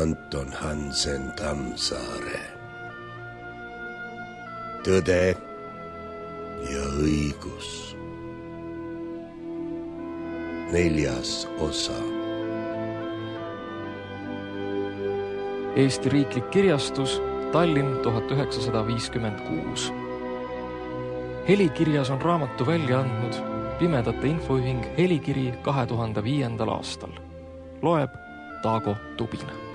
Anton Hansen Tammsaare. Tõde ja õigus. 4. osa. Eesti Riiklik Kirjastus, Tallinn 1956. Helikirjas on raamatu välja andnud Pimedate Infoühing Helikiri 2005. aastal. Loeb Taago Tubine.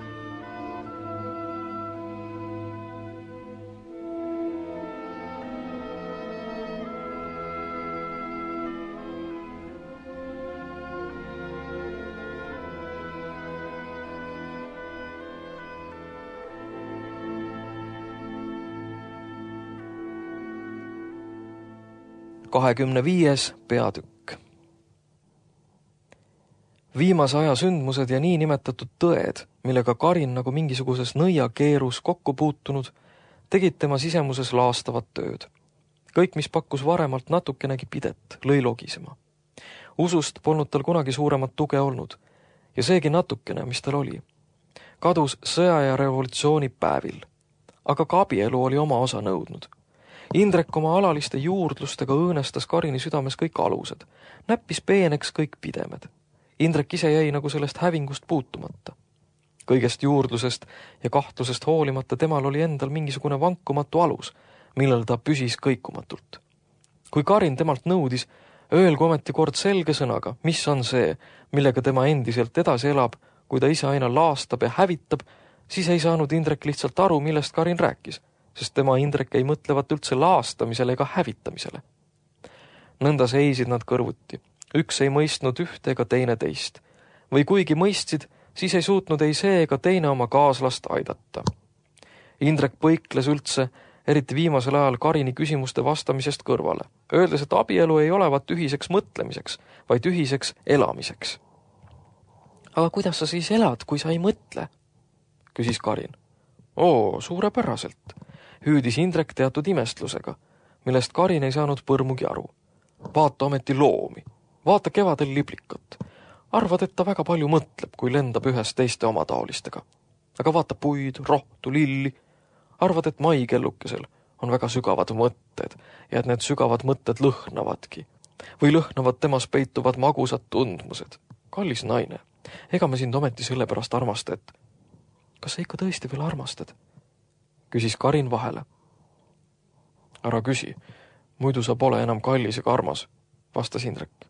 ...25. peatükk. Viimase aja sündmused ja nii nimetatud tõed, millega Karin nagu mingisuguses nõiakeerus kokku puutunud, tegid tema sisemuses laastavat tööd. Kõik, mis pakkus varemalt natukenegi pidet, lõi logisema. Usust polnud tal kunagi suuremat tuge olnud ja seegi natukene, mis tal oli. Kadus sõja ja revolutsiooni päevil, aga ka abielu oli oma osa nõudnud. Indrek oma alaliste juurdlustega õõnestas Karini südames kõik alused, näppis peeneks kõik pidemed. Indrek ise jäi nagu sellest hävingust puutumata. Kõigest juurdlusest ja kahtlusest hoolimata temal oli endal mingisugune vankumatu alus, millel ta püsis kõikumatult. Kui Karin temalt nõudis, öelgu ometi kord selge sõnaga, mis on see, millega tema endiselt edasi elab, kui ta ise aina laastab ja hävitab, siis ei saanud Indrek lihtsalt aru, millest Karin rääkis, sest tema Indrek ei mõtlevat üldse laastamisele ega hävitamisele. Nõnda seisid nad kõrvuti. Üks ei mõistnud ühte ega teine teist. Või kuigi mõistsid, siis ei suutnud ei see ega teine oma kaaslast aidata. Indrek põikles üldse, eriti viimasel ajal Karini küsimuste vastamisest kõrvale, öeldes, et abielu ei olevat ühiseks mõtlemiseks, vaid ühiseks elamiseks. Aga kuidas sa siis elad, kui sa ei mõtle? Küsis Karin. Suurepäraselt. Hüüdis Indrek teatud imestlusega, millest Karin ei saanud põrmugi aru. Vaata ometi loomi. Vaata kevadel liblikat. Arvad, et ta väga palju mõtleb, kui lendab ühes teiste omataolistega. Aga vaata puid, rohtu, lilli. Arvad, et maikellukesel on väga sügavad mõtted ja et need sügavad mõtted lõhnavadki. Või lõhnavad temas peituvad magusad tundmused. Kallis naine, ega me sind ometi selle pärast armasta, et... Kas sa ikka tõesti veel armastad? Küsis Karin vahele. Ära küsi, muidu sa pole enam kallis ega armas, vastas Indrek.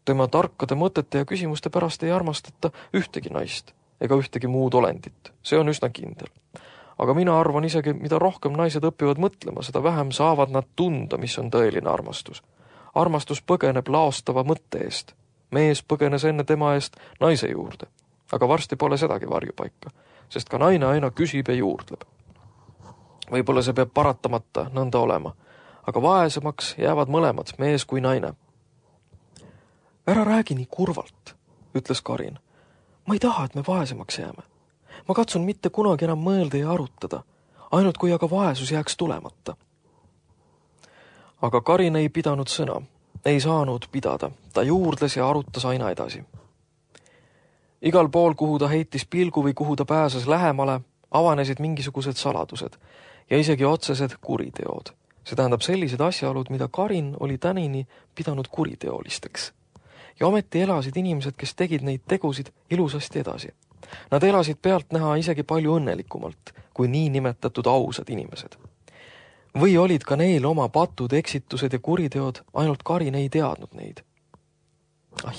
Tema tarkade mõtete ja küsimuste pärast ei armastata ühtegi naist ega ühtegi muud olendit. See on üsna kindel. Aga mina arvan isegi, mida rohkem naised õpivad mõtlema, seda vähem saavad nad tunda, mis on tõeline armastus. Armastus põgeneb laostava mõtte eest. Mees põgenes enne tema eest naise juurde. Aga varsti pole sedagi varjupaika, sest ka naine aina küsib ja juurdleb. Võib-olla see peab paratamata nõnda olema, aga vaesemaks jäävad mõlemad, mees kui naine. Ära räägi nii kurvalt, ütles Karin. Ma ei taha, et me vaesemaks jääme. Ma katsun mitte kunagi enam mõelda ja arutada, ainult kui aga vaesus jääks tulemata. Aga Karin ei pidanud sõna, ei saanud pidada, ta juurdles ja arutas aina edasi. Igal pool, kuhu ta heitis pilgu või kuhu ta pääses lähemale, avanesid mingisugused saladused ja isegi otsesed kuriteod. See tähendab sellised asjaolud, mida Karin oli tänini pidanud kuriteolisteks. Ja ometi elasid inimesed, kes tegid neid tegusid ilusasti edasi. Nad elasid pealt näha isegi palju õnnelikumalt kui nii nimetatud ausad inimesed. Või olid ka neil oma patud, eksitused ja kuriteod, ainult Karin ei teadnud neid.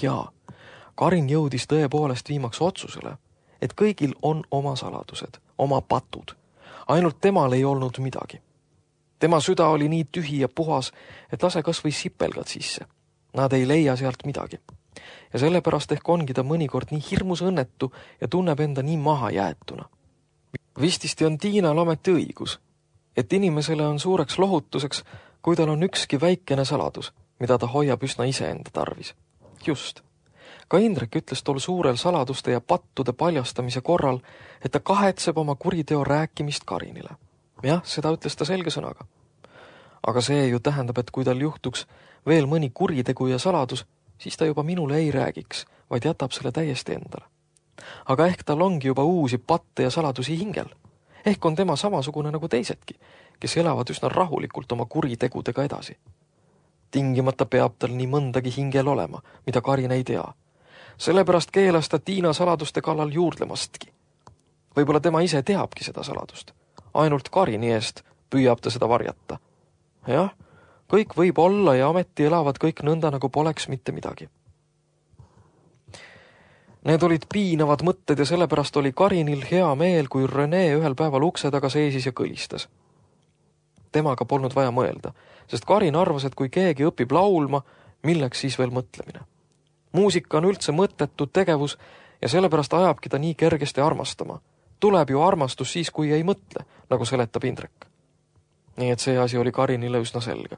Jaa, Karin jõudis tõepoolest viimaks otsusele, et kõigil on oma saladused, oma patud. Ainult temal ei olnud midagi. Tema süda oli nii tühi ja puhas, et lase kas või sipelgad sisse. Nad ei leia sealt midagi. Ja sellepärast ehk ongi ta mõnikord nii hirmus õnnetu ja tunneb enda nii maha jäetuna. Vististi on Tiinal ometi õigus, et inimesele on suureks lohutuseks, kui tal on ükski väikene saladus, mida ta hoiab üsna iseenda tarvis. Just. Ka Indrek ütles tol suurel saladuste ja pattude paljastamise korral, et ta kahetseb oma kuriteo rääkimist Karinile. Jah, seda ütles ta selge sõnaga. Aga see ju tähendab, et kui tal juhtuks veel mõni kuritegu ja saladus, siis ta juba minule ei räägiks, vaid jätab selle täiesti endale. aga ehk tal ongi juba uusi patte ja saladusi hingel. Ehk on tema samasugune nagu teisedki, kes elavad üsna rahulikult oma kuritegudega edasi. Tingimata peab tal nii mõndagi hingel olema, mida Karin ei tea. Sellepärast keelas ta Tiina saladuste kallal juurdlemastki. Võib-olla tema ise teabki seda saladust. Ainult Karini eest püüab ta seda varjata. Jah, kõik võib olla ja ameti elavad kõik nõnda, nagu poleks mitte midagi. Need olid piinavad mõtted ja sellepärast oli Karinil hea meel, kui Rene ühel päeval ukse taga seisis ja kõlistas. Temaga polnud vaja mõelda, sest Karin arvas, et kui keegi õpib laulma, milleks siis veel mõtlemine. Muusika on üldse mõttetu tegevus ja sellepärast ajabki ta nii kergesti armastama. Tuleb ju armastus siis, kui ei mõtle, nagu seletab Indrek. Nii et see asi oli Karinile üsna selge.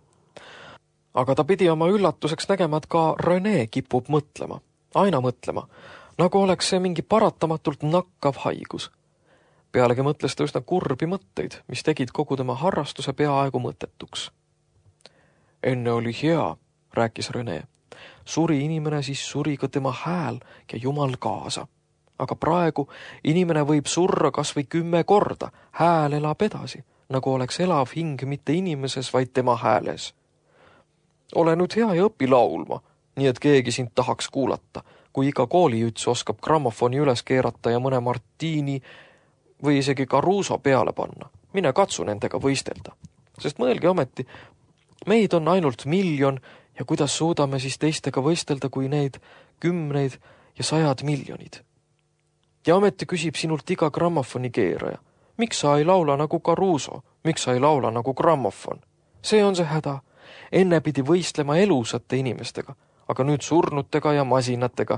Aga ta pidi oma üllatuseks nägema, et ka Rene kipub mõtlema, aina mõtlema, nagu oleks see mingi paratamatult nakkav haigus. Pealegi mõtles ta üsna kurbi mõtteid, mis tegid kogu tema harrastuse peaaegu mõttetuks. Enne oli hea, rääkis Rene. Suri inimene, siis suri ka tema hääl ja Jumal kaasa. Aga praegu inimene võib surra kas või 10 korda, hääl elab edasi, nagu oleks elav hing mitte inimeses, vaid tema hääles. Ole nüüd hea ja õpi laulma, nii et keegi sind tahaks kuulata, kui iga koolijuts oskab grammofoni üles keerata ja mõne Martini või isegi Caruso peale panna. Mine katsu nendega võistelda. Sest mõelge ometi, meid on ainult 1 miljon ja kuidas suudame siis teistega võistelda, kui neid 10 ja 100 miljonid. Ja ometi küsib sinult iga grammofoni keeraja. Miks sa ei laula nagu Caruso? Miks sa ei laula nagu grammofon? See on see häda. Enne pidi võistlema elusate inimestega, aga nüüd surnutega ja masinatega.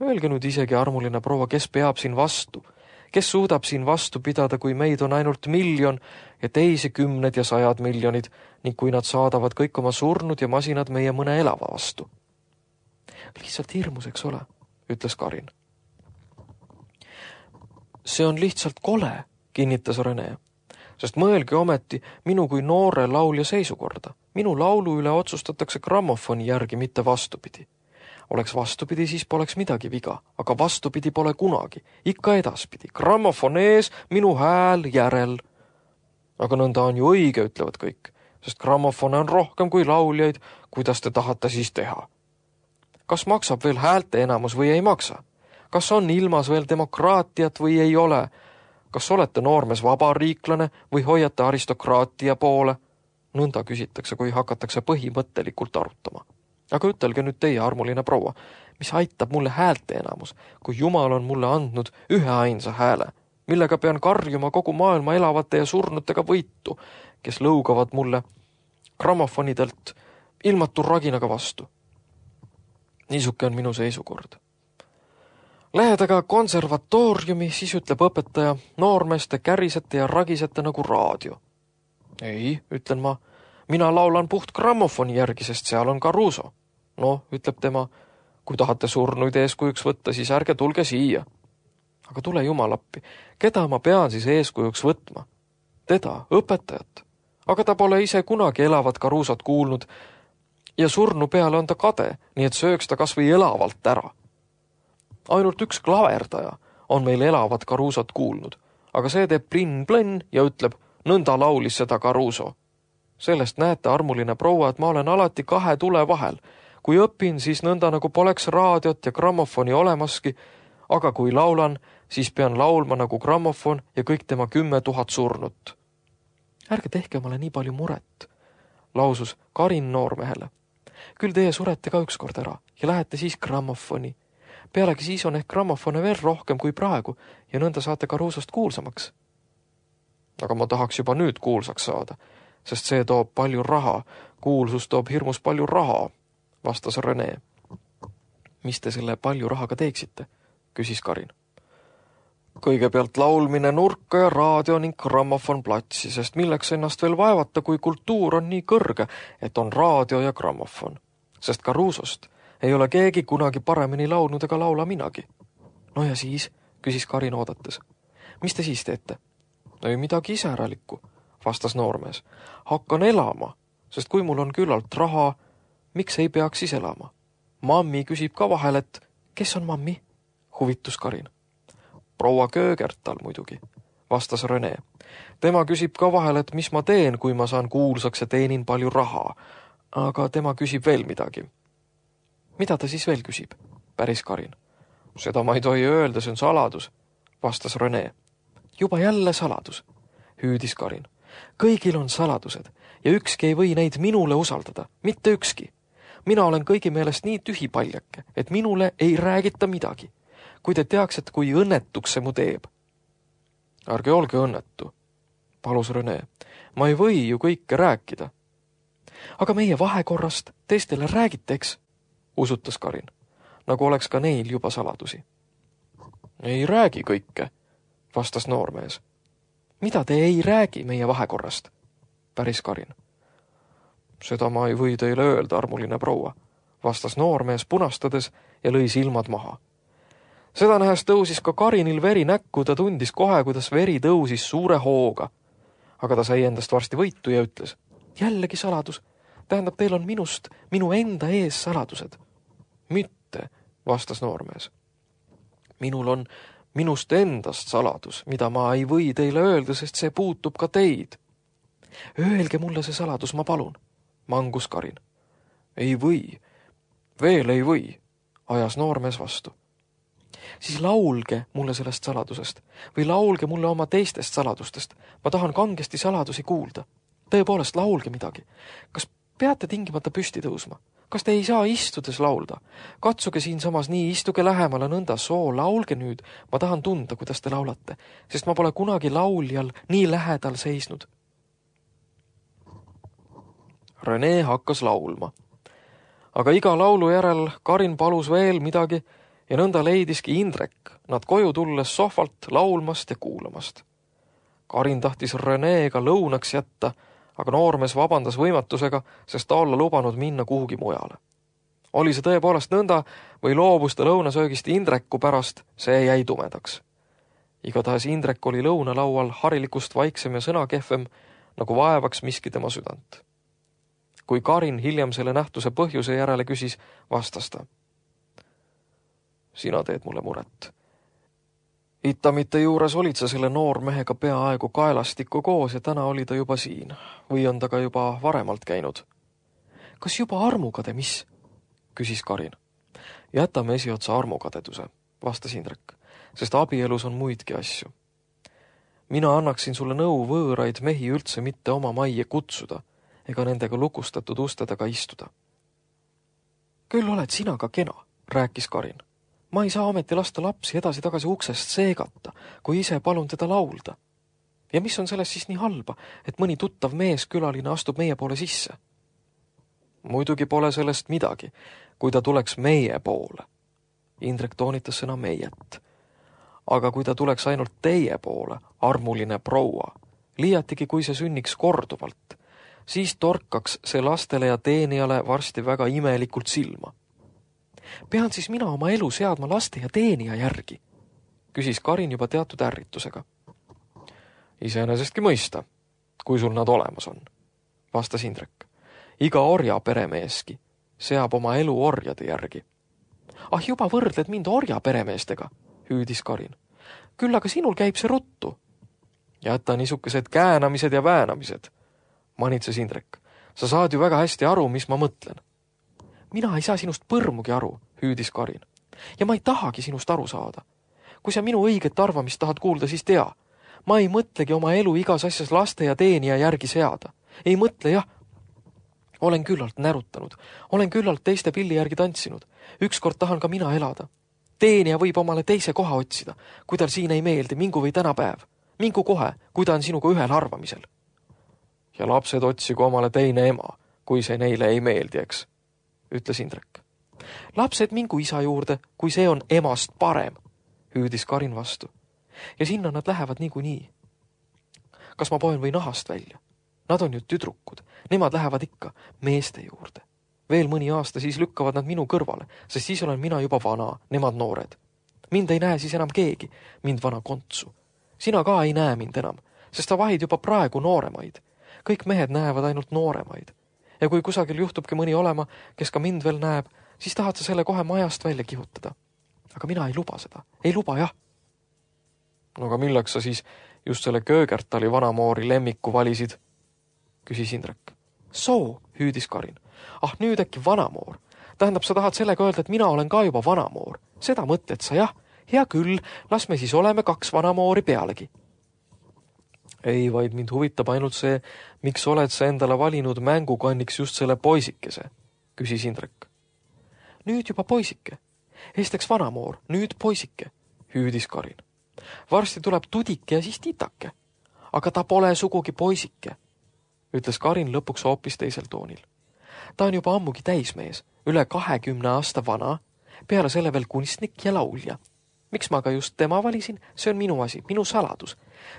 Öelge nüüd isegi, armuline proua, kes peab siin vastu? Kes suudab siin vastu pidada, kui meid on ainult 1 miljon ja teisi 10 ja 100 miljonid ning kui nad saadavad kõik oma surnud ja masinad meie mõne elava vastu? Lihtsalt hirmus, eks ole, ütles Karin. See on lihtsalt kole, kinnitas Rene, sest mõelge ometi minu kui noore laulja seisukorda. Minu laulu üle otsustatakse grammofoni järgi, mitte vastupidi. Oleks vastupidi, siis poleks midagi viga, aga vastupidi pole kunagi, ikka edaspidi. Grammofon ees, minu hääl järel. Aga nõnda on ju õige, ütlevad kõik, sest grammofone on rohkem kui lauljaid, kuidas te tahate siis teha. Kas maksab veel häälte enamus või ei maksa? Kas on ilmas veel demokraatiat või ei ole? Kas olete noormees vabariiklane või hoiate aristokraatia poole? Nõnda küsitakse, kui hakatakse põhimõttelikult arutama. Aga ütelge nüüd teie, armuline proua, mis aitab mulle häälte enamus, kui Jumal on mulle andnud ühe ainsa hääle, millega pean karjuma kogu maailma elavate ja surnutega võitu, kes lõugavad mulle grammofonidelt ilmatu raginaga vastu. Niisuke on minu seisukord. Lähed aga konservatooriumi, siis ütleb õpetaja, noormeeste kärisete ja ragisete nagu raadio. Ei, ütlen ma, mina laulan puht grammofoni järgi, sest seal on Caruso. No, ütleb tema, kui tahate surnuid eeskujuks võtta, siis ärge tulge siia. Aga tule Jumal appi, keda ma pean siis eeskujuks võtma? Teda, õpetajat. Aga ta pole ise kunagi elavat Carusot kuulnud ja surnu peale on ta kade, nii et sööks ta kas või elavalt ära. Ainult üks klaverdaja on meil elavat Carusot kuulnud, aga see teeb plinn-plõnn ja ütleb, nõnda laulis seda Caruso. Sellest näete, armuline proua, et ma olen alati 2 tule vahel. Kui õpin, siis nõnda nagu poleks raadiot ja grammofoni olemaski, aga kui laulan, siis pean laulma nagu grammofon ja kõik tema 10 000 surnut. Ärge tehke omale nii palju muret, lausus Karin noormehele. Küll teie surete ka ükskord ära ja lähete siis grammofoni. Pealegi siis on ehk grammofone veel rohkem kui praegu ja nõnda saate Carusost kuulsamaks. Aga ma tahaks juba nüüd kuulsaks saada, sest see toob palju raha. Kuulsus toob hirmus palju raha, vastas Rene. Mis te selle palju rahaga teeksite, küsis Karin. Kõigepealt laulmine nurka ja raadio ning grammofon platsi, sest milleks ennast veel vaevata, kui kultuur on nii kõrge, et on raadio ja grammofon. Sest Carusost ei ole keegi kunagi paremini laulnud ega laula minagi. No ja siis, küsis Karin oodates. Mis te siis teete? Ei midagi iseäralikku, vastas noormees. Hakkan elama, sest kui mul on küllalt raha, miks ei peaks siis elama? Mammi küsib ka vahel, et kes on mammi? Huvitus Karin. proua Köögertal muidugi, vastas Rene. Tema küsib ka vahel, et mis ma teen, kui ma saan kuulsaks ja teenin palju raha. Aga tema küsib veel midagi. Mida ta siis veel küsib? Päris Karin. Seda ma ei tohi öelda, see on saladus, vastas Rene. Juba jälle saladus, hüüdis Karin. Kõigil on saladused ja ükski ei või neid minule usaldada, mitte ükski. Mina olen kõigi meelest nii tühipaljake, et minule ei räägita midagi. Kui te teaksid, kui õnnetuks see mu teeb. Ärge olge õnnetu, palus Rene. Ma ei või ju kõike rääkida. Aga meie vahekorrast teistele räägite, eks, usutas Karin, nagu oleks ka neil juba saladusi. Ei räägi kõike, vastas noormees. Mida te ei räägi meie vahekorrast? Päris Karin. Seda ma ei või teile öelda, armuline proua, vastas noormees punastades ja lõi silmad maha. Seda nähes tõusis ka Karinil veri näkku, ta tundis kohe, kuidas veri tõusis suure hooga. Aga ta sai endast varsti võitu ja ütles, jällegi saladus, tähendab, teil on minust, minu enda ees saladused. Mitte, vastas noormees. Minul on minust endast saladus, mida ma ei või teile öelda, sest see puutub ka teid. Öelge mulle see saladus, ma palun, mangus Karin. Ei või, veel ei või, ajas noormees vastu. Siis laulge mulle sellest saladusest või laulge mulle oma teistest saladustest. Ma tahan kangesti saladusi kuulda. Tõepoolest, laulge midagi. Kas peate tingimata püsti tõusma? Kas te ei saa istudes laulda? Katsuge siinsamas nii, istuge lähemale nõnda soo, laulge nüüd. Ma tahan tunda, kuidas te laulate, sest ma pole kunagi lauljal nii lähedal seisnud. Rene hakkas laulma. Aga iga laulu järel Karin palus veel midagi ja nõnda leidiski Indrek nad koju tulles sohvalt laulmast ja kuulamast. Karin tahtis Reneega lõunaks jätta, aga noormees vabandas võimatusega, sest ta olla lubanud minna kuhugi mujale. Oli see tõepoolest nõnda või loobus ta lõunasöögist Indreku pärast, see jäi tumedaks. Igatahes Indrek oli lõunalaual harilikust vaiksem ja sõnakehvem, nagu vaevaks miski tema südant. Kui Karin hiljem selle nähtuse põhjuse järele küsis, vastas ta. Sina teed mulle muret. Itamite juures olid sa selle noormehega peaaegu kaelastikku koos ja täna oli ta juba siin. Või on ta ka juba varemalt käinud? Kas juba armukade, mis? Küsis Karin. Jätame esiotsa armukadeduse, vastas Indrek, sest abielus on muidki asju. Mina annaksin sulle nõu võõraid mehi üldse mitte oma majje kutsuda ega nendega lukustatud uste taga istuda. Küll oled sina ka kena, rääkis Karin. Ma ei saa ometi lasta lapsi edasi-tagasi uksest seegata, kui ise palun teda laulda. Ja mis on selles siis nii halba, et mõni tuttav mees külaline astub meie poole sisse? Muidugi pole sellest midagi, kui ta tuleks meie poole. Indrek toonitas sõna meiet. Aga kui ta tuleks ainult teie poole, armuline proua, liiatigi kui see sünniks korduvalt, siis torkaks see lastele ja teenijale varsti väga imelikult silma. Pean siis mina oma elu seadma laste ja teenija järgi, küsis Karin juba teatud ärritusega. Iseenesestki mõista, kui sul nad olemas on, vastas Indrek. Iga orja peremeeski seab oma elu orjade järgi. Ah, juba võrdled mind orja peremeestega, hüüdis Karin. Küll aga sinul käib see ruttu. Jäta niisugused käänamised ja väänamised, manitses Indrek. Sa saad ju väga hästi aru, mis ma mõtlen. Mina ei saa sinust põrmugi aru, hüüdis Karin. Ja ma ei tahagi sinust aru saada. Kui sa minu õiget arvamist tahad kuulda, siis tea. Ma ei mõtlegi oma elu igas asjas laste ja teenija järgi seada. Ei mõtle, jah. Olen küllalt närutanud. Olen küllalt teiste pilli järgi tantsinud. Ükskord tahan ka mina elada. Teenija võib omale teise koha otsida. Kui tal siin ei meeldi, mingu või tänapäev. Mingu kohe, kui ta on sinuga ühel arvamisel. Ja lapsed otsigu omale teine ema, kui see neile ei meeldi, eks, ütles Indrek. Lapsed mingu isa juurde, kui see on emast parem, hüüdis Karin vastu. Ja sinna nad lähevad niikuinii. Kas ma poen või nahast välja? Nad on ju tüdrukud. Nemad lähevad ikka meeste juurde. Veel mõni aasta siis lükkavad nad minu kõrvale, sest siis olen mina juba vana, nemad noored. Mind ei näe siis enam keegi, mind vana kontsu. Sina ka ei näe mind enam, sest sa vahid juba praegu nooremaid. Kõik mehed näevad ainult nooremaid. Ja kui kusagil juhtubki mõni olema, kes ka mind veel näeb, siis tahad sa selle kohe majast välja kihutada. Aga mina ei luba seda. Ei luba, jah. No aga milleks sa siis just selle Köögertali vanamoori lemmiku valisid? Küsis Indrek. Soo, hüüdis Karin. Ah, nüüd äkki vanamoor. Tähendab, sa tahad sellega öelda, et mina olen ka juba vanamoor. Seda mõtled sa, jah? Hea küll, las me siis oleme 2 vanamoori pealegi. Ei, vaid mind huvitab ainult see, miks oled sa endale valinud mängukanniks just selle poisikese, küsis Indrek. Nüüd juba poisike. Esiteks vanamoor, nüüd poisike, hüüdis Karin. Varsti tuleb tudike ja siis titake. Aga ta pole sugugi poisike, ütles Karin lõpuks hoopis teisel toonil. Ta on juba ammugi täismees, üle 20 aasta vana, peale selle veel kunstnik ja laulja. Miks ma ka just tema valisin, see on minu asi, minu saladus.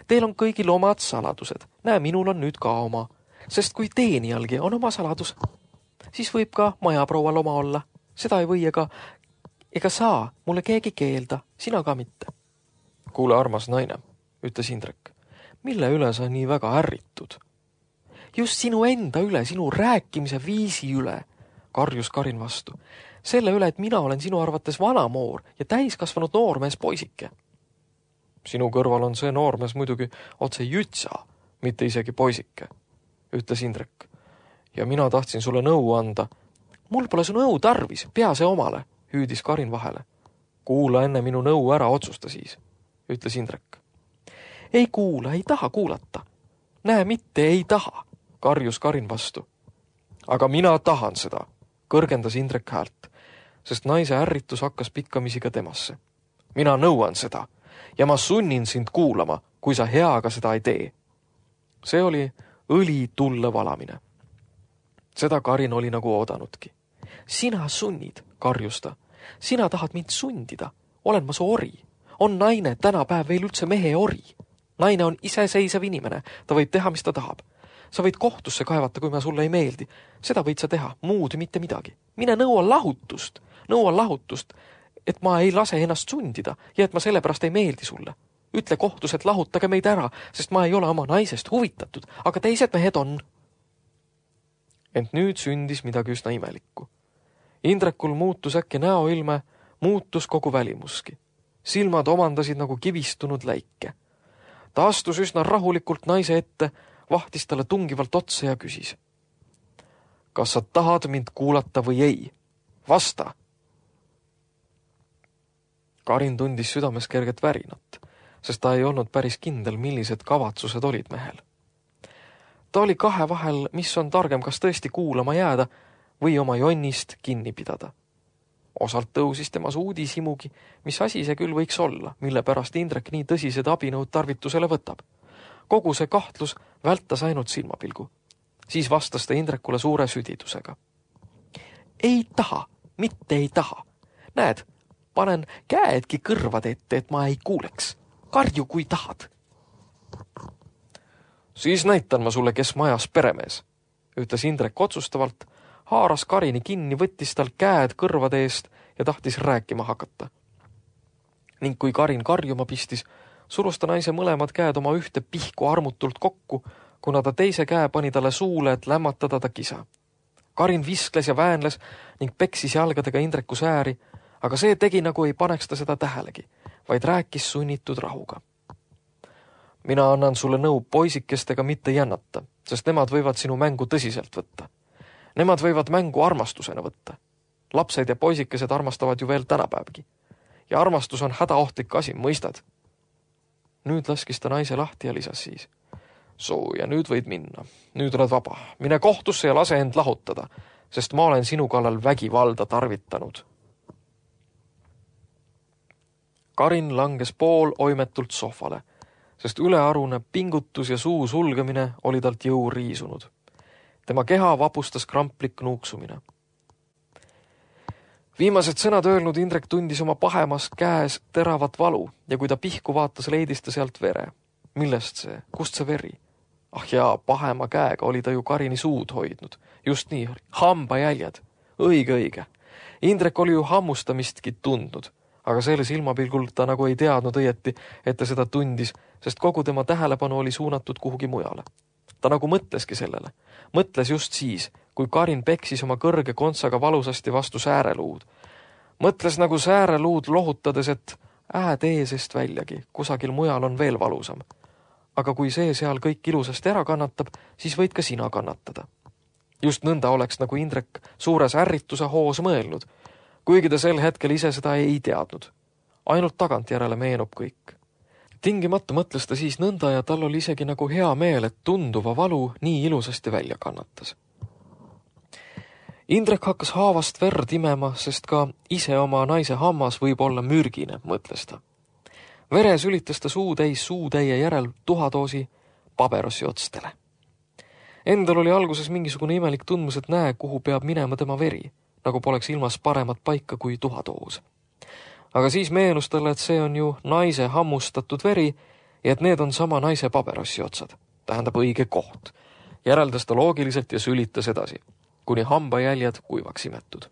Teil on kõigil omad saladused. Näe, minul on nüüd ka oma. Sest kui teenijalgi on oma saladus, siis võib ka majaproual oma olla. Seda ei või ega saa mulle keegi keelda, sina ka mitte. Kuule, armas naine, ütles Indrek. Mille üle sa nii väga ärritud? Just sinu enda üle, sinu rääkimise viisi üle, karjus Karin vastu. Selle üle, et mina olen sinu arvates vanamoor ja täiskasvanud noormees poisike. Sinu kõrval on see noormees muidugi otse jütsa, mitte isegi poisike, ütles Indrek. Ja mina tahtsin sulle nõu anda. Mul pole su nõu tarvis, pea see omale, hüüdis Karin vahele. Kuula enne minu nõu ära otsusta siis, ütles Indrek. Ei kuula, ei taha kuulata. Näe, mitte ei taha, karjus Karin vastu. Aga mina tahan seda, kõrgendas Indrek häält, sest naise ärritus hakkas pikkamisi ka temasse. Mina nõuan seda ja ma sunnin sind kuulama, kui sa heaga seda ei tee. See oli õli tulle valamine. Seda Karin oli nagu oodanudki. Sina sunnid, karjus ta. Sina tahad mind sundida. Olen ma su ori. On naine tänapäev veel üldse mehe ori. Naine on iseseisev inimene. Ta võib teha, mis ta tahab. Sa võid kohtusse kaevata, kui ma sulle ei meeldi. Seda võid sa teha, muud mitte midagi. Mine nõua lahutust, et ma ei lase ennast sundida ja et ma sellepärast ei meeldi sulle. Ütle kohtus, et lahutage meid ära, sest ma ei ole oma naisest huvitatud, aga teised mehed on. Ent nüüd sündis midagi üsna imelikku. Indrekul muutus äkki näoilme, muutus kogu välimuski. Silmad omandasid nagu kivistunud läike. Ta astus üsna rahulikult naise ette, vahtis talle tungivalt otsa ja küsis. Kas sa tahad mind kuulata või ei? Vasta! Karin tundis südames kerget värinat, sest ta ei olnud päris kindel, millised kavatsused olid mehel. Ta oli kahe vahel, mis on targem kas tõesti kuulama jääda või oma jonnist kinni pidada. Osalt tõusis temas uudishimugi, mis asi see küll võiks olla, mille pärast Indrek nii tõsised abinõud tarvitusele võtab. Kogu see kahtlus vältas ainult silmapilgu. Siis vastas ta Indrekule suure südidusega. Ei taha, mitte ei taha. Näed, panen käedki kõrvade ette, et ma ei kuuleks. Karju, kui tahad. Siis näitan ma sulle, kes majas peremees, ütles Indrek otsustavalt, haaras Karini kinni, võttis tal käed kõrvade eest ja tahtis rääkima hakata. Ning kui Karin karjuma pistis, surus ta naise mõlemad käed oma ühte pihku armutult kokku, kuna ta teise käe pani talle suule, et lämmatada ta kisa. Karin viskles ja väänles ning peksis jalgadega Indreku sääri, aga see tegi, nagu ei paneks ta seda tähelegi, vaid rääkis sunnitud rahuga. Mina annan sulle nõu poisikestega mitte jännata, sest nemad võivad sinu mängu tõsiselt võtta. Nemad võivad mängu armastusena võtta. Lapsed ja poisikesed armastavad ju veel tänapäevgi. Ja armastus on hädaohtlik asi, mõistad? Nüüd laskis ta naise lahti ja lisas siis. Soo, ja nüüd võid minna. Nüüd oled vaba. Mine kohtusse ja lase end lahutada, sest ma olen sinu kallal vägivalda tarvitanud. Karin langes pool oimetult sohvale, sest ülearune pingutus ja suu sulgemine oli talt jõu riisunud. Tema keha vapustas kramplik nuuksumine. Viimased sõnad öelnud Indrek tundis oma pahemas käes teravat valu ja kui ta pihku vaatas, leidis ta sealt vere. Millest see? Kust see veri? Ah jaa, pahema käega oli ta ju Karini suud hoidnud. Just nii, hambajäljed. Õige. Indrek oli ju hammustamistki tundnud, aga selle silmapilgul ta nagu ei teadnud õieti, et ta seda tundis, sest kogu tema tähelepanu oli suunatud kuhugi mujale. Ta nagu mõtleski sellele. Mõtles just siis, kui Karin peksis oma kõrge kontsaga valusasti vastu sääreluud. Mõtles nagu sääreluud lohutades, et tee seest väljagi, kusagil mujal on veel valusam. Aga kui see seal kõik ilusasti ära kannatab, siis võid ka sina kannatada. Just nõnda oleks, nagu Indrek suures ärrituse hoos mõelnud, kuigi ta sel hetkel ise seda ei teadnud. Ainult tagantjärele meenub kõik. Tingimata mõtles ta siis nõnda ja tal oli isegi nagu hea meel, et tunduva valu nii ilusasti välja kannatas. Indrek hakkas haavast verd imema, sest ka ise oma naise hammas võib olla mürgine, mõtles ta. Vere sülitas ta suutäie järel 1000 doosi paberossi otstele. Endal oli alguses mingisugune imelik tundmus, et näe, kuhu peab minema tema veri, nagu poleks ilmas paremat paika kui 1000 doos. Aga siis meenus talle, et see on ju naise hammustatud veri ja et need on sama naise paberossi otsad, tähendab õige koht. Järeldas ta loogiliselt ja sülitas edasi, kuni hambajäljed kuivaks imetud.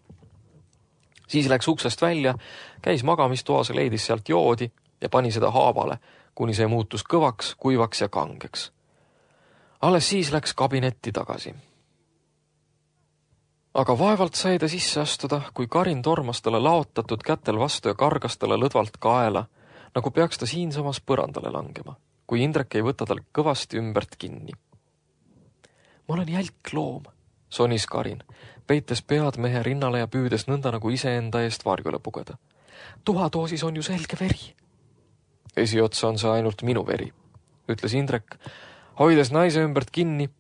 Siis läks uksest välja, käis magamistoas ja leidis sealt joodi ja pani seda haavale, kuni see muutus kõvaks, kuivaks ja kangeks. Alles siis läks kabinetti tagasi. Aga vaevalt sai ta sisse astuda, kui Karin tormas talle laotatud kätel vastu ja kargas talle lõdvalt kaela, nagu peaks ta siinsamas põrandale langema, kui Indrek ei võta tal kõvasti ümbert kinni. Ma olen jälk loom, sonis Karin, peites pead mehe rinnale ja püüdes nõnda nagu iseenda eest varjule pugeda. 1000 doosis on ju selge veri. Esiotsa on see ainult minu veri, ütles Indrek, hoides naise ümbert kinni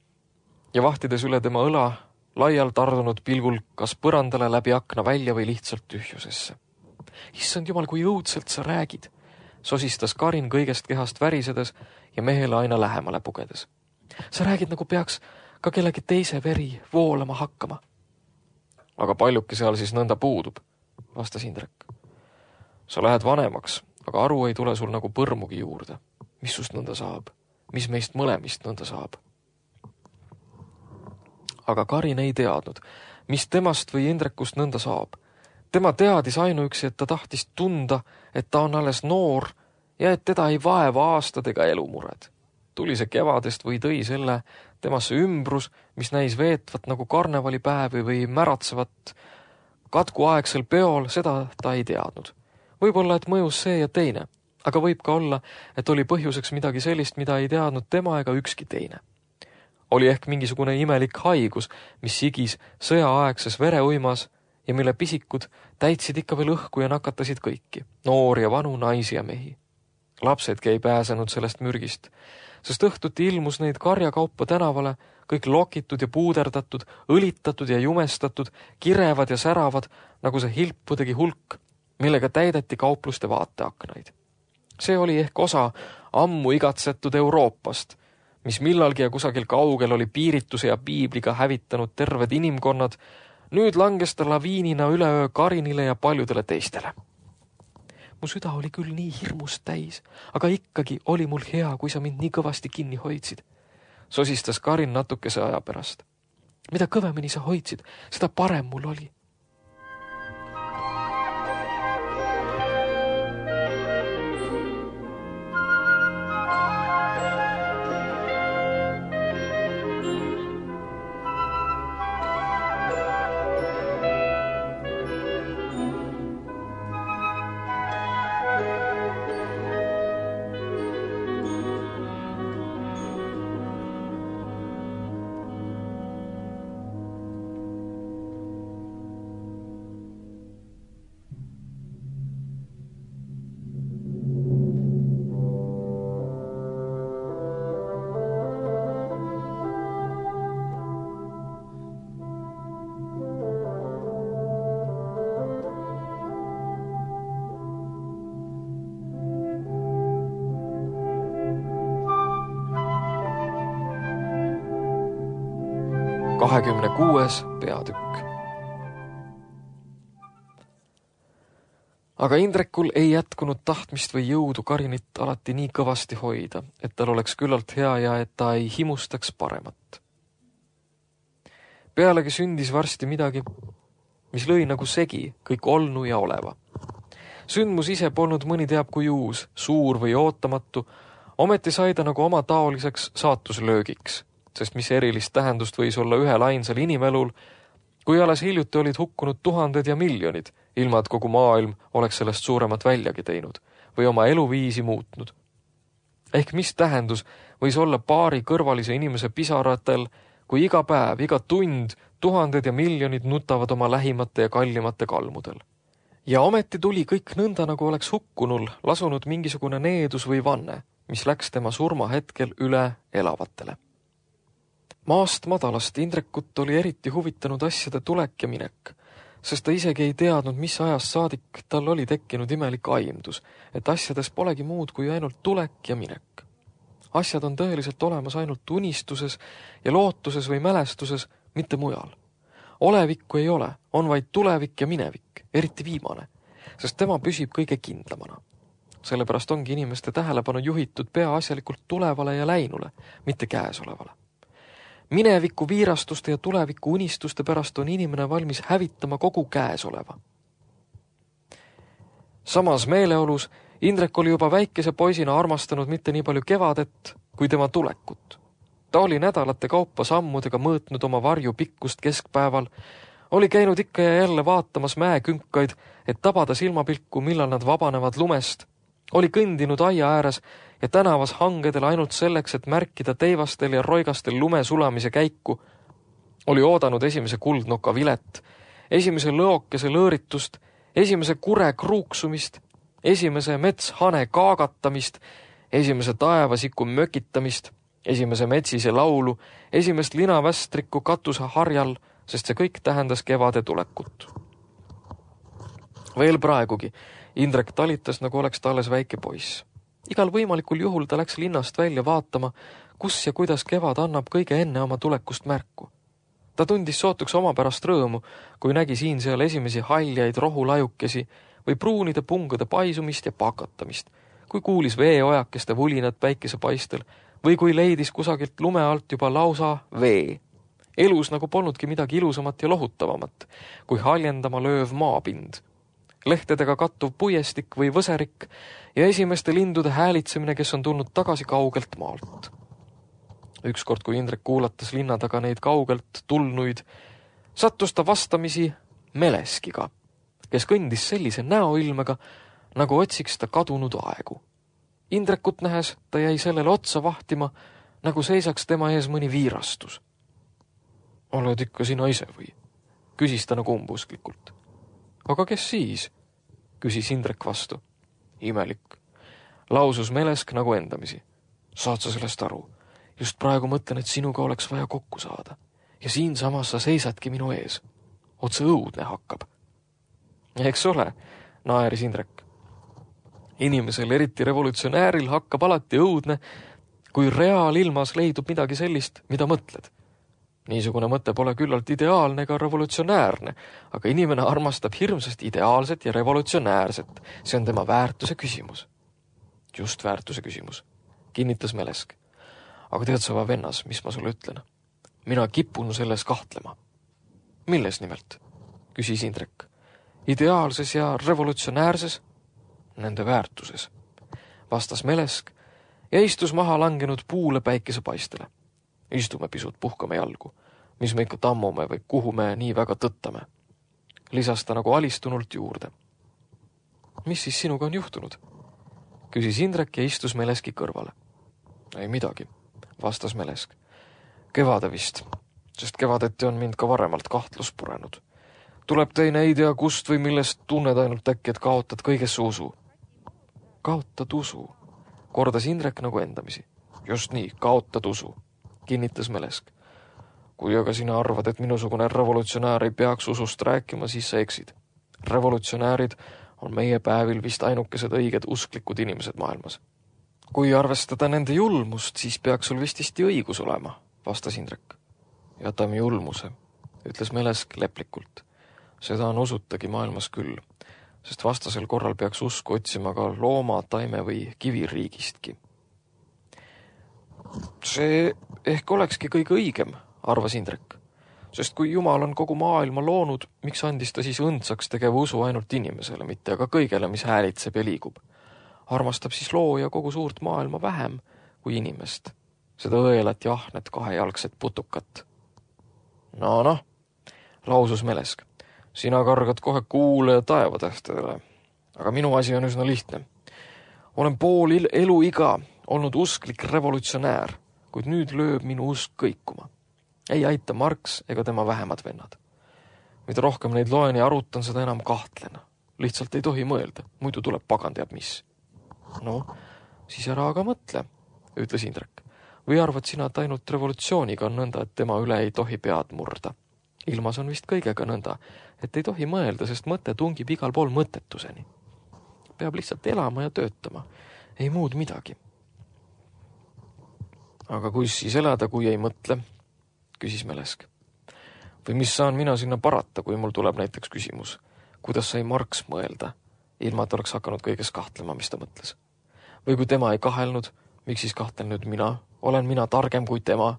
ja vahtides üle tema õla laial tardunud pilgul kas põrandale läbi akna välja või lihtsalt tühjusesse. Issand jumal, kui õudselt sa räägid, sosistas Karin kõigest kehast värisedes ja mehele aina lähemale pugedes. Sa räägid, nagu peaks ka kellegi teise veri voolama hakkama. Aga paljuke seal siis nõnda puudub, vastas Indrek. Sa lähed vanemaks, aga aru ei tule sul nagu põrmugi juurde. Mis sust nõnda saab? Mis meist mõlemist nõnda saab? Aga Karin ei teadnud, mis temast või Indrekust nõnda saab. Tema teadis ainuüksi, et ta tahtis tunda, et ta on alles noor ja et teda ei vaeva aastad ega elumured. Tuli see kevadest või tõi selle temasse ümbrus, mis näis veetvat nagu karnevalipäevi või märatsevat katkuaegsel peol, seda ta ei teadnud. Võib-olla, et mõjus see ja teine, aga võib ka olla, et oli põhjuseks midagi sellist, mida ei teadnud tema ega ükski teine. Oli ehk mingisugune imelik haigus, mis sigis sõjaaegses vereuimas ja mille pisikud täitsid ikka veel õhku ja nakatasid kõiki, noori ja vanu, naisi ja mehi. Lapsedki ei pääsenud sellest mürgist, sest õhtuti ilmus neid karjakaupa tänavale, kõik lokitud ja puuderdatud, õlitatud ja jumestatud, kirevad ja säravad, nagu see hilpudegi hulk, millega täideti kaupluste vaateaknaid. See oli ehk osa ammu igatsetud Euroopast, mis millalgi ja kusagil kaugel oli piirituse ja piibliga hävitanud terved inimkonnad, nüüd langes ta laviinina üleöö Karinile ja paljudele teistele. Mu süda oli küll nii hirmust täis, aga ikkagi oli mul hea, kui sa mind nii kõvasti kinni hoidsid, sosistas Karin natukese aja pärast. Mida kõvemini sa hoidsid, seda parem mul oli. Kahekümne 6. peatükk. Aga Indrekul ei jätkunud tahtmist või jõudu Karinit alati nii kõvasti hoida, et tal oleks küllalt hea ja et ta ei himustaks paremat. Pealegi sündis varsti midagi, mis lõi nagu segi kõik olnu ja oleva. Sündmus ise polnud mõni teab kui uus, suur või ootamatu, ometi sai ta nagu oma taoliseks saatuslöögiks, sest mis erilist tähendust võis olla ühel ainsal inimelul, kui alles hiljuti olid hukkunud tuhanded ja miljonid, ilma et kogu maailm oleks sellest suuremat väljagi teinud, või oma eluviisi muutnud. Ehk mis tähendus võis olla paari kõrvalise inimese pisaratel, kui iga päev, iga tund tuhanded ja miljonid nutavad oma lähimate ja kallimate kalmudel. Ja ometi tuli kõik nõnda, nagu oleks hukkunul lasunud mingisugune needus või vanne, mis läks tema surmahetkel üle elavatele. Maast madalast Indrekut oli eriti huvitanud asjade tulek ja minek, sest ta isegi ei teadnud, mis ajast saadik tal oli tekkinud imelik aimdus, et asjades polegi muud kui ainult tulek ja minek. Asjad on tõeliselt olemas ainult unistuses ja lootuses või mälestuses, mitte mujal. Olevikku ei ole, on vaid tulevik ja minevik, eriti viimane, sest tema püsib kõige kindlamana. Sellepärast ongi inimeste tähelepanu juhitud peaasjalikult tulevale ja läinule, mitte käesolevale. Mineviku viirastuste ja tuleviku unistuste pärast on inimene valmis hävitama kogu käesoleva. Samas meeleolus Indrek oli juba väikese poisina armastanud mitte nii palju kevadet kui tema tulekut. Ta oli nädalate kaupa sammudega mõõtnud oma varju pikkust keskpäeval, oli käinud ikka ja jälle vaatamas mäekünkaid, et tabada silmapilku, millal nad vabanevad lumest, oli kõndinud aia ääres ja tänavas hangedel ainult selleks, et märkida teivastel ja roigastel lume sulamise käiku, oli oodanud esimese kuldnoka vilet, esimese lõokese lõõritust, esimese kure kruuksumist, esimese metshane kaagatamist, esimese taevasiku mökitamist, esimese metsise laulu, esimest linavästriku katuse harjal, sest see kõik tähendas kevade tulekut. Veel praegugi Indrek talitas, nagu oleks ta alles väike poiss. Igal võimalikul juhul ta läks linnast välja vaatama, kus ja kuidas kevad annab kõige enne oma tulekust märku. Ta tundis sootuks omapärast rõõmu, kui nägi siin seal esimesi haljaid rohulajukesi või pruunide pungade paisumist ja pakatamist, kui kuulis veeojakeste vulinad päikesepaistel või kui leidis kusagilt lume alt juba lausa vee. Elus nagu polnudki midagi ilusamat ja lohutavamat, kui haljendama lööv maapind. Lehtedega kattuv puiestik või võserik ja esimeste lindude häälitsemine, kes on tulnud tagasi kaugelt maalt. Ükskord, kui Indrek kuulatas linna taga neid kaugelt tulnuid, sattus ta vastamisi Meleskiga, kes kõndis sellise näoilmega, nagu otsiks ta kadunud aegu. Indrekut nähes ta jäi sellele otsa vahtima, nagu seisaks tema ees mõni viirastus. Oled ikka sina ise või? Küsis ta nagu umbusklikult. Aga kes siis? Küsis Indrek vastu. Imelik. Lausus Melesk nagu endamisi. Saad sa sellest aru? Just praegu mõtlen, et sinuga oleks vaja kokku saada. Ja siinsamas sa seisadki minu ees. Otse õudne hakkab. Eks ole, naeris Indrek. Inimesel, eriti revolutsionääril, hakkab alati õudne, kui reaalilmas leidub midagi sellist, mida mõtled. Niisugune mõte pole küllalt ideaalne ega revolutsionäärne, aga inimene armastab hirmsasti ideaalset ja revolutsionäärset. See on tema väärtuse küsimus. Just väärtuse küsimus, kinnitas Melesk. Aga tead sa, vennas, mis ma sulle ütlen? Mina kipun selles kahtlema. Milles nimelt? Küsis Indrek. Ideaalses ja revolutsionäärses? Nende väärtuses, vastas Melesk ja istus maha langenud puule päikesepaistele. Istume pisut, puhkame jalgu, mis me ikka tammume või kuhu me nii väga tõttame. Lisas ta nagu alistunult juurde. Mis siis sinuga on juhtunud? Küsis Indrek ja istus Meleski kõrvale. Ei midagi, vastas Melesk. Kevade vist, sest kevadeti on mind ka varemalt kahtlus purenud. Tuleb teine ei tea kust või millest tunned ainult äkki, et kaotad kõigesse usu. Kaotad usu, kordas Indrek nagu endamisi. Just nii, kaotad usu, kinnitas Melesk. Kui aga sina arvad, et minusugune revolutsionäär ei peaks usust rääkima, siis sa eksid. Revolutsionäärid on meie päevil vist ainukesed õiged usklikud inimesed maailmas. Kui arvestada nende julmust, siis peaks sul vististi õigus olema, vastas Indrek. Jätame julmuse, ütles Melesk leplikult. Seda on usutagi maailmas küll, sest vastasel korral peaks usku otsima ka looma, taime või kiviriigistki. See ehk olekski kõige õigem, arvas Indrek, sest kui Jumal on kogu maailma loonud, miks andis ta siis õndsaks tegeva usu ainult inimesele, mitte aga kõigele, mis häälitseb ja liigub. Armastab siis looja kogu suurt maailma vähem kui inimest, seda õelat ja ahnet kahejalgset putukat. No, lausus Melesk. Sina kargad kohe kuule ja taevatähtedele, aga minu asi on üsna lihtne. Olen pool eluiga olnud usklik revolutsionäär, kuid nüüd lööb minu usk kõikuma. Ei aita Marx ega tema vähemad vennad. Mida rohkem neid loen ja arutan, seda enam kahtlen. Lihtsalt ei tohi mõelda, muidu tuleb pagan teab mis. No, siis ära aga mõtle, ütles Indrek. Või arvad sina, et ainult revolutsiooniga on nõnda, et tema üle ei tohi pead murda? Ilmas on vist kõigega nõnda, et ei tohi mõelda, sest mõte tungib igal pool mõttetuseni. Peab lihtsalt elama ja töötama. Ei muud midagi. Aga kus siis elada, kui ei mõtle? Küsis Melesk. Või mis saan mina sinna parata, kui mul tuleb näiteks küsimus? Kuidas sai Marx mõelda, ilma et oleks hakanud kõiges kahtlema, mis ta mõtles? Või kui tema ei kahelnud, miks siis kahtlen nüüd mina? Olen mina targem kui tema?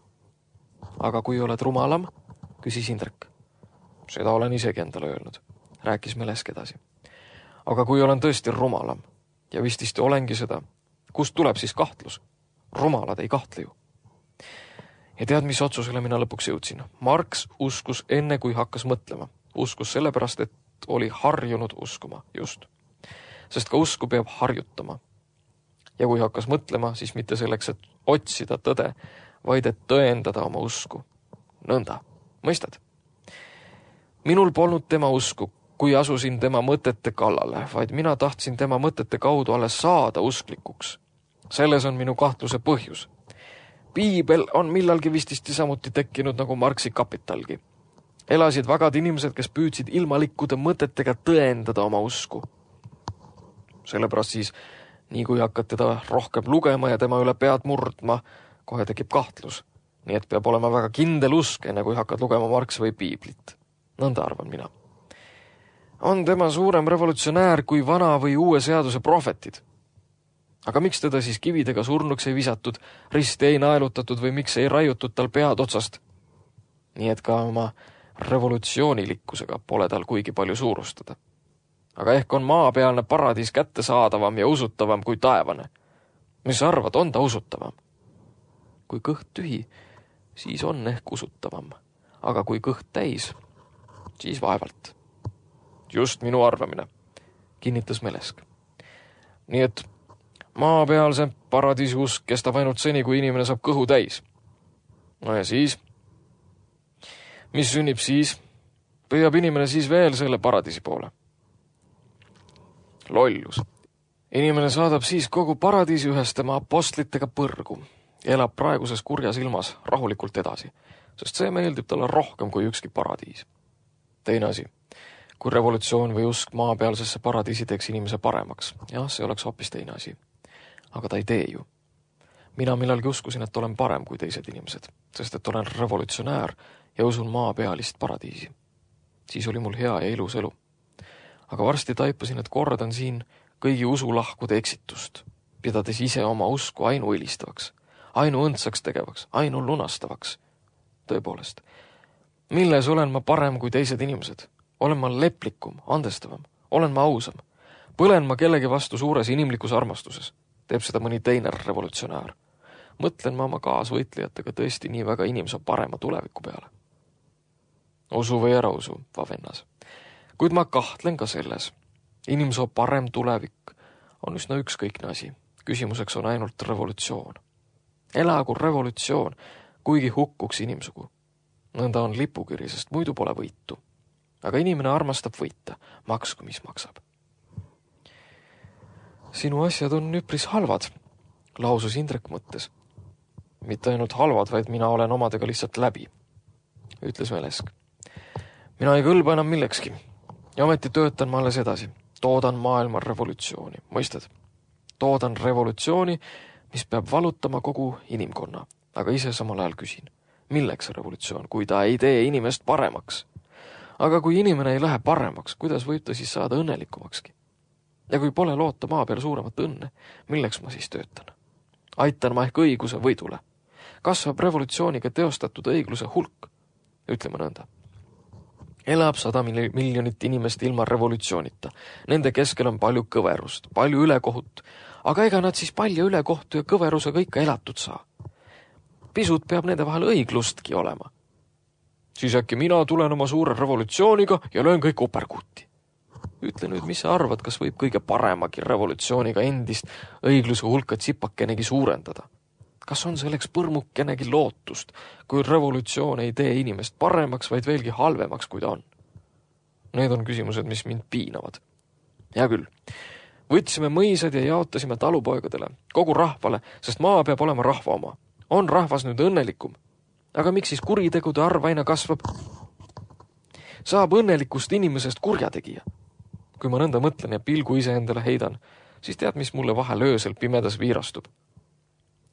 Aga kui oled rumalam? Küsis Indrek. Seda olen isegi endale öelnud, rääkis Melesk edasi. Aga kui olen tõesti rumalam ja vististi olengi seda, kust tuleb siis kahtlus? Rumalad ei kahtle ju. Ja tead, mis otsusele mina lõpuks jõudsin? Marx uskus enne, kui hakkas mõtlema. Uskus sellepärast, et oli harjunud uskuma, just. Sest ka usku peab harjutama. Ja kui hakkas mõtlema, siis mitte selleks, et otsida tõde, vaid et tõendada oma usku. Nõnda, mõistad? Minul polnud tema usku, kui asusin tema mõtete kallale, vaid mina tahtsin tema mõtete kaudu alles saada usklikuks. Selles on minu kahtluse põhjus. Piibel on millalgi vististi samuti tekkinud nagu Marxi kapitalgi. Elasid vagad inimesed, kes püüdsid ilmalikkude mõtetega tõendada oma usku. Sellepärast siis, nii kui hakkad teda rohkem lugema ja tema üle pead murdma, kohe tekib kahtlus. Nii et peab olema väga kindel usk, enne kui hakkad lugema Marxi või Piiblit. Nõnda arvan mina. On tema suurem revolutsionäär kui vana või uue seaduse prohvetid. Aga miks teda siis kividega surnuks ei visatud, risti ei naelutatud või miks ei raiutud tal pead otsast? Nii et ka oma revolutsioonilikkusega pole tal kuigi palju suurustada. Aga ehk on maapealne paradiis kättesaadavam ja usutavam kui taevane. Mis sa arvad, on ta usutavam? Kui kõht tühi, siis on ehk usutavam. Aga kui kõht täis, siis vaevalt. Just minu arvamine, kinnitas Melesk. Nii et maapealse paradiisi usk kestab ainult seni, kui inimene saab kõhu täis. No ja siis? Mis sünnib siis? Püüab inimene siis veel selle paradiisi poole. Lollus. Inimene saadab siis kogu paradiisi ühes tema apostlitega põrgu. Elab praeguses kurjas ilmas rahulikult edasi, sest see meeldib talle rohkem kui ükski paradiis. Teine asi. Kui revolutsioon või usk maapealsesse paradiisi teeks inimese paremaks. Jah, see oleks hoopis teine asi. Aga ta ei tee ju. Mina millalgi uskusin, et olen parem kui teised inimesed, sest et olen revolutsionäär ja usun maapealist paradiisi. Siis oli mul hea ja ilus elu. Aga varsti taipasin, et kordan siin kõigi usulahkude eksitust, pidades ise oma usku ainu õilistavaks, ainu õndsaks tegevaks, ainu lunastavaks. Tõepoolest, milles olen ma parem kui teised inimesed? Olen ma leplikum, andestavam, olen ma ausam, põlen ma kellegi vastu suures inimlikus armastuses, teeb seda mõni teine revolutsionäär. Mõtlen ma oma kaasvõitlejatega tõesti nii väga inimese parema tuleviku peale. Usu või ära usu, vavennas. Kuid ma kahtlen ka selles. Inimese parem tulevik on üsna ükskõikne asi. Küsimuseks on ainult revolutsioon. Elagu revolutsioon, kuigi hukkuks inimsugu. Nõnda on lipukiri, sest muidu pole võitu. Aga inimene armastab võita, maksku mis maksab. Sinu asjad on üpris halvad, lausus Indrek mõttes. Mitte ainult halvad, vaid mina olen omadega lihtsalt läbi, ütles Melesk. Mina ei kõlba enam millekski ja ometi töötan ma alles edasi. Toodan maailma revolutsiooni, mõistad? Toodan revolutsiooni, mis peab valutama kogu inimkonna, aga ise samal ajal küsin. Milleks see revolutsioon, kui ta ei tee inimest paremaks? Aga kui inimene ei lähe paremaks, kuidas võib ta siis saada õnnelikumakski? Ja kui pole loota maa peal suuremat õnne, milleks ma siis töötan? Aitan ma ehk õiguse võidule. Kasvab revolutsiooniga teostatud õigluse hulk, ütleme nõnda. Elab 100 miljonit inimest ilma revolutsioonita. Nende keskel on palju kõverust, palju ülekohut, aga ega nad siis palju ülekohtu ja kõverusega ikka elatud saa. Pisut peab nende vahel õiglustki olema. Siis äkki mina tulen oma suure revolutsiooniga ja löön kõik uperkuuti. Ütle nüüd, mis sa arvad, kas võib kõige paremagi revolutsiooniga endist õigluse hulka tsipakenegi suurendada? Kas on selleks põrmukenegi lootust, kui revolutsioon ei tee inimest paremaks, vaid veelgi halvemaks, kui ta on? Need on küsimused, mis mind piinavad. Hea küll. Võtsime mõisad ja jaotasime talupoegadele, kogu rahvale, sest maa peab olema rahva oma. On rahvas nüüd õnnelikum? Aga miks siis kuritegude arv aina kasvab? Saab õnnelikust inimesest kurjategija. Kui ma nõnda mõtlen ja pilgu iseendale heidan, siis tead, mis mulle vahel öösel pimedas viirastub.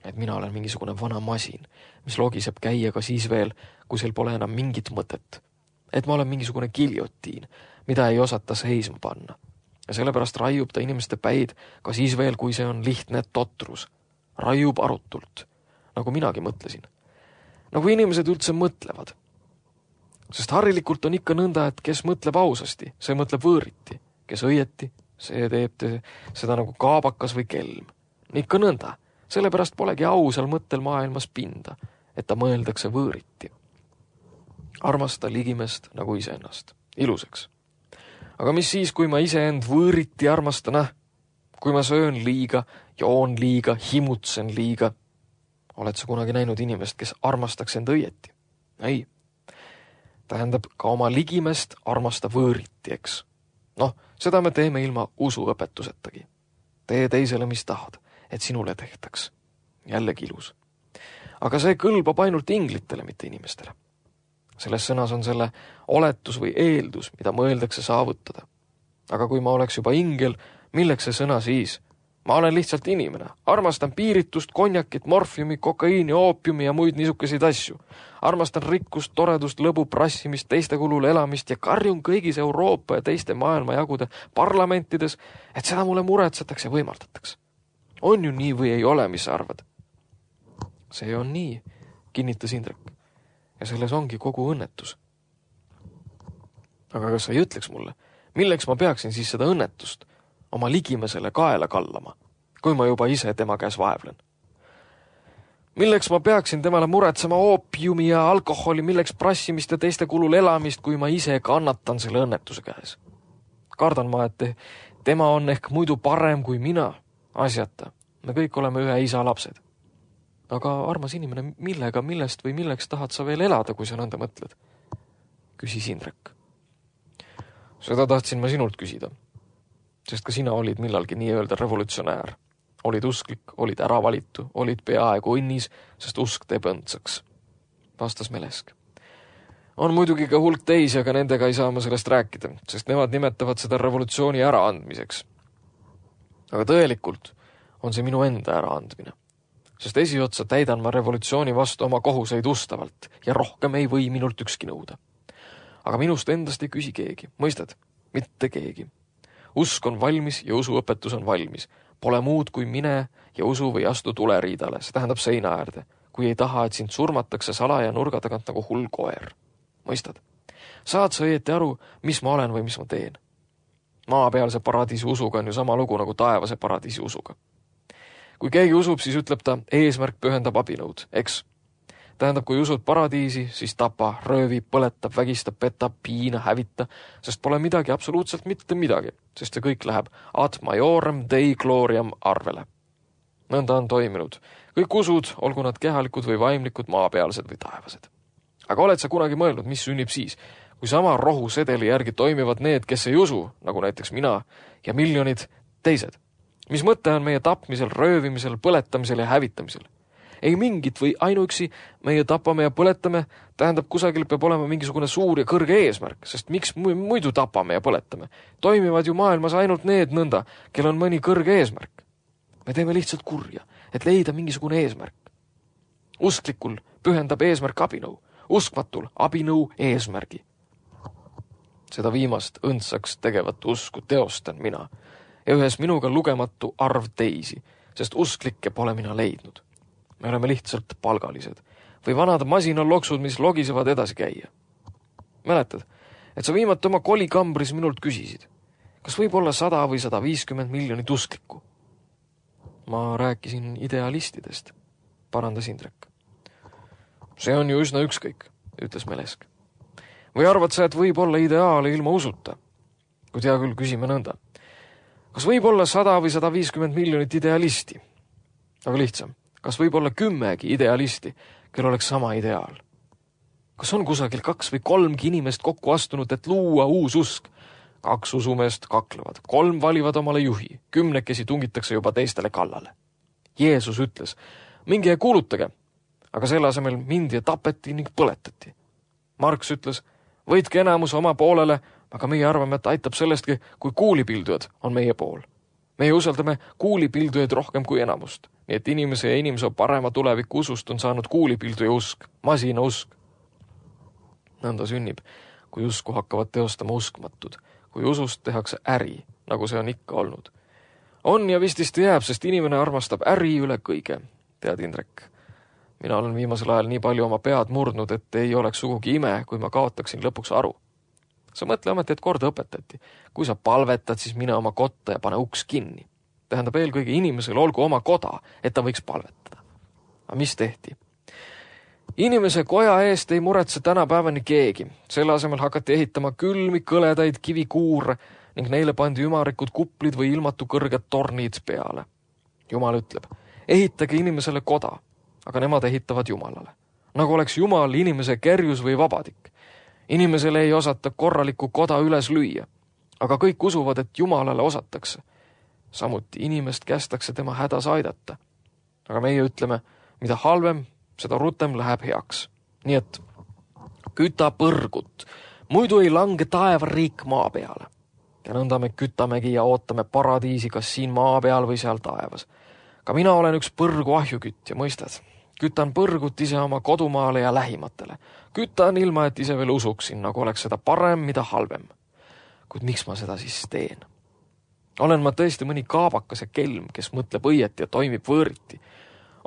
Et mina olen mingisugune vana masin, mis logiseb käiega siis veel, kui seal pole enam mingit mõtet. Et ma olen mingisugune giljotiin, mida ei osata seisma panna. Ja sellepärast raiub ta inimeste päid ka siis veel, kui see on lihtne totrus. Raiub arutult, nagu minagi mõtlesin. Nagu inimesed üldse mõtlevad. Sest harilikult on ikka nõnda, et kes mõtleb ausasti, see mõtleb võõriti. Kes õieti, see teeb seda nagu kaabakas või kelm. Ikka nõnda, sellepärast polegi ausal mõttel maailmas pinda, et ta mõeldakse võõriti. Armasta ligimest nagu iseennast. Iluseks. Aga mis siis, kui ma iseend võõriti armastan? Kui ma söön liiga, joon liiga, himutsen liiga? Oled sa kunagi näinud inimest, kes armastaks end õieti? Ei. Tähendab, ka oma ligimest armasta võõriti, eks? Seda me teeme ilma usuõpetusetagi. Tee teisele, mis tahad, et sinule tehtaks. Jällegi ilus. Aga see kõlbab ainult inglitele, mitte inimestele. Selles sõnas on selle oletus või eeldus, mida mõeldakse saavutada. Aga kui ma oleks juba ingel, milleks see sõna siis? Ma olen lihtsalt inimene. Armastan piiritust, konjakit, morfiumi, kokaiini, oopiumi ja muid niisukeseid asju. Armastan rikkust, toredust, lõbu, prassimist, teiste kulul elamist ja karjun kõigis Euroopa ja teiste maailmajagude parlamentides, et seda mulle muretsetaks ja võimaldataks. On ju nii või ei ole, mis sa arvad? See on nii, kinnitas Indrek. Ja selles ongi kogu õnnetus. Aga kas sa ei ütleks mulle, milleks ma peaksin siis seda õnnetust oma ligimesele kaela kallama, kui ma juba ise tema käes vaevlen? Milleks ma peaksin temale muretsema oopiumi ja alkoholi, milleks prassimist ja teiste kulul elamist, kui ma ise kannatan selle õnnetuse käes? Kardan ma, et tema on ehk muidu parem kui mina, asjata. Me kõik oleme ühe isa lapsed. Aga armas inimene, millega, millest või milleks tahad sa veel elada, kui sa nõnda mõtled? Küsis Indrek. Seda tahtsin ma sinult küsida. Sest ka sina olid millalgi nii-öelda revolutsionäär. Olid usklik, olid äravalitu, olid peaaegu õnnis, sest usk teeb õndsaks. Vastas Melesk. On muidugi ka hulk teisi, aga nendega ei saa ma sellest rääkida, sest nemad nimetavad seda revolutsiooni äraandmiseks. Aga tõelikult on see minu enda äraandmine. Sest esiotsa täidan ma revolutsiooni vastu oma kohuseid ustavalt ja rohkem ei või minult ükski nõuda. Aga minust endast ei küsi keegi, mõistad? Mitte keegi. Usk on valmis ja usuõpetus on valmis. Pole muud kui mine ja usu või astu tuleriidale, see tähendab seina äärde, kui ei taha, et sind surmatakse salaja nurga tagant nagu hull koer. Mõistad? Saad sa õieti aru, mis ma olen või mis ma teen? Maapealse paradiisi usuga on ju sama lugu nagu taevase paradiisi usuga. Kui keegi usub, siis ütleb ta, eesmärk pühendab abinõud, eks? Tähendab, kui usud paradiisi, siis tapa, röövi, põletab, vägistab, petab, piina, hävita, sest pole midagi, absoluutselt mitte midagi, sest see kõik läheb ad majorem dei gloriam arvele. Nõnda on toiminud. Kõik usud, olgu nad kehalikud või vaimlikud, maapealsed või taevased. Aga oled sa kunagi mõelnud, mis sünnib siis, kui sama rohu sedeli järgi toimivad need, kes ei usu, nagu näiteks mina, ja miljonid teised? Mis mõte on meie tapmisel, röövimisel, põletamisel ja hävitamisel? Ei mingit või ainuüksi meie tapame ja põletame, tähendab kusagil peab olema mingisugune suur ja kõrge eesmärk, sest miks muidu tapame ja põletame? Toimivad ju maailmas ainult need nõnda, kel on mõni kõrge eesmärk. Me teeme lihtsalt kurja, et leida mingisugune eesmärk. Usklikul pühendab eesmärk abinõu, uskmatul abinõu eesmärgi. Seda viimast õndsaks tegevat usku teostan mina ja ühes minuga lugematu arv teisi, sest usklikke pole mina leidnud. Me oleme lihtsalt palgalised või vanad masinaloksud, mis logisevad edasi käia. Mäletad, et sa viimati oma kolikambris minult küsisid, kas võib olla 100 või 150 miljonit usklikku? Ma rääkisin idealistidest, parandas Indrek. See on ju üsna ükskõik, ütles Melesk. Või arvad sa, et võib olla ideaale ilma usuta? Kuid hea küll, küsime nõnda. Kas võib olla 100 või 150 miljonit idealisti? Aga lihtsam, kas võib olla 10 idealisti, kel oleks sama ideaal? Kas on kusagil 2 või 3 inimest kokku astunud, et luua uus usk? 2 usumeest kaklevad, 3 valivad omale juhi, 10 tungitakse juba teistele kallale. Jeesus ütles, minge ja kuulutage, aga selle asemel mindi ja tapeti ning põletati. Marx ütles, võitke enamus oma poolele, aga meie arvame, et aitab sellestki, kui kuulipildujad on meie pool. Meie usaldame kuulipildujaid rohkem kui enamust, nii et inimese ja inimese parema tuleviku usust on saanud kuulipilduja usk, masina usk. Nõnda sünnib, kui usku hakkavad teostama uskmatud, kui usust tehakse äri, nagu see on ikka olnud. On ja vististi jääb, sest inimene armastab äri üle kõige, tead Indrek. Mina olen viimasel ajal nii palju oma pead murdnud, et ei oleks sugugi ime, kui ma kaotaksin lõpuks aru. Sa mõtle ometi, et korda õpetati. Kui sa palvetad, siis mine oma kotta ja pane uks kinni. Tähendab eelkõige inimesel olgu oma koda, et ta võiks palvetada. Aga mis tehti? Inimese koja eest ei muretse tänapäevani keegi. Selle asemel hakati ehitama külmi kõledaid kivikuure ning neile pandi ümarikud kuplid või ilmatu kõrged tornid peale. Jumal ütleb, ehitage inimesele koda, aga nemad ehitavad Jumalale. Nagu oleks Jumal inimese kerjus või vabadik. Inimesele ei osata korralikku koda üles lüüa, aga kõik usuvad, et Jumalale osatakse. Samuti inimest kästakse tema hädas aidata. Aga meie ütleme, mida halvem, seda rutem läheb heaks. Nii et küta põrgut, muidu ei lange taevariik maa peale. Ja nõnda me kütamegi ja ootame paradiisi kas siin maa peal või seal taevas. Ka mina olen üks põrgu ahjukütt ja mõistad. Kütan põrgut ise oma kodumaale ja lähimatele. Kütan ilma, et ise veel usuksin, nagu oleks seda parem, mida halvem. Kuid miks ma seda siis teen? Olen ma tõesti mõni kaabakas ja kelm, kes mõtleb õieti ja toimib võõriti.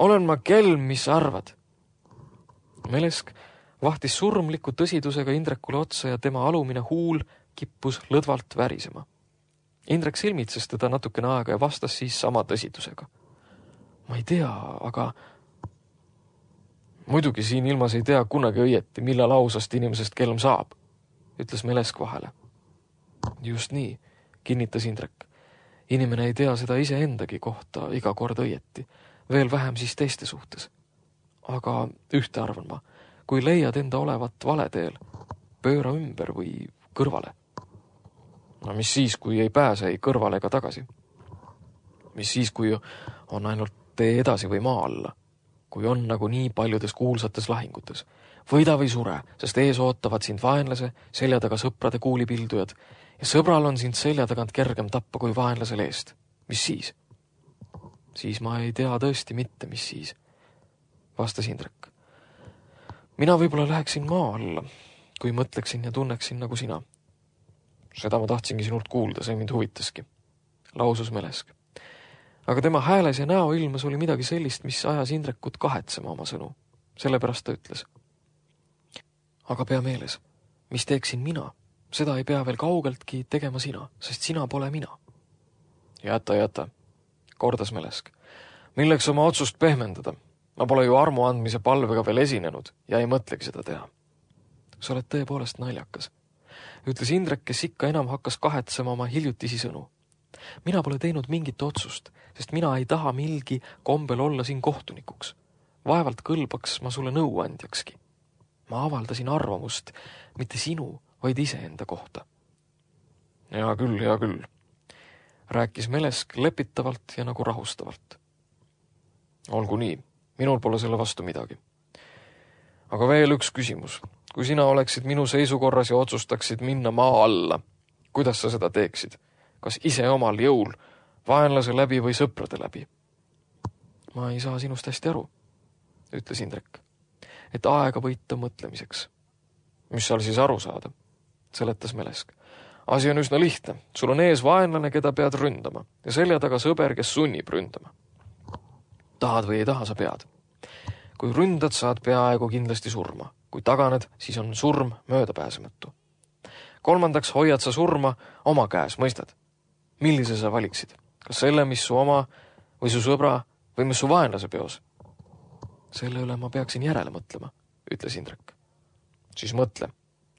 Olen ma kelm, mis arvad? Melesk vahtis surmliku tõsidusega Indrekule otsa ja tema alumine huul kippus lõdvalt värisema. Indrek silmitses teda natukene aega ja vastas siis sama tõsidusega. Ma ei tea, aga muidugi siin ilmas ei tea kunagi õieti, millal ausast inimesest kelm saab, ütles Melesk vahele. Just nii, kinnitas Indrek. Inimene ei tea seda iseendagi kohta iga kord õieti, veel vähem siis teiste suhtes. Aga ühte arvan ma, kui leiad enda olevat valeteel, pööra ümber või kõrvale. No mis siis, kui ei pääse ei kõrvale ega tagasi? Mis siis, kui on ainult tee edasi või maa alla? Kui on nagu nii paljudes kuulsates lahingutes. Võida või sure, sest ees ootavad sind vaenlase, selja taga sõprade kuulipildujad ja sõbral on sind selja tagant kergem tappa kui vaenlasel eest. Mis siis? Siis ma ei tea tõesti mitte, mis siis, vastas Indrek. Mina võib-olla läheksin maa alla, kui mõtleksin ja tunneksin nagu sina. Seda ma tahtsingi sinult kuulda, see mind huvitaski, lausus Melesk. Aga tema hääles ja näoilmes oli midagi sellist, mis ajas Indrekut kahetsema oma sõnu. Sellepärast ta ütles. Aga pea meeles, mis teeksin mina, seda ei pea veel kaugeltki tegema sina, sest sina pole mina. Jäta, kordas Melesk. Milleks oma otsust pehmendada? Ma pole ju armu andmise palvega veel esinenud ja ei mõtlegi seda teha. Sa oled tõepoolest naljakas, ütles Indrek, kes ikka enam hakkas kahetsema oma hiljutisi sõnu. Mina pole teinud mingit otsust, sest mina ei taha milgi kombel olla siin kohtunikuks. Vaevalt kõlbaks ma sulle nõuandjakski. Ma avaldasin arvamust, mitte sinu, vaid iseenda kohta. Hea küll, rääkis Melesk lepitavalt ja nagu rahustavalt. Olgu nii, minul pole selle vastu midagi. Aga veel üks küsimus. Kui sina oleksid minu seisukorras ja otsustaksid minna maa alla, kuidas sa seda teeksid? Kas ise omal jõul, vaenlase läbi või sõprade läbi? Ma ei saa sinust hästi aru, ütles Indrek, et aega võita mõtlemiseks. Mis seal siis aru saada? Seletas Melesk. Asi on üsna lihtne. Sul on ees vaenlane, keda pead ründama ja selja taga sõber, kes sunnib ründama. Tahad või ei taha, sa pead. Kui ründad, saad peaaegu kindlasti surma. Kui taganed, siis on surm möödapääsematu. Kolmandaks hoiad sa surma oma käes, mõistad? Millise sa valiksid? Kas selle, mis su oma või su sõbra või mis su vaenlase peos? Selle üle ma peaksin järele mõtlema, ütles Indrek. Siis mõtle,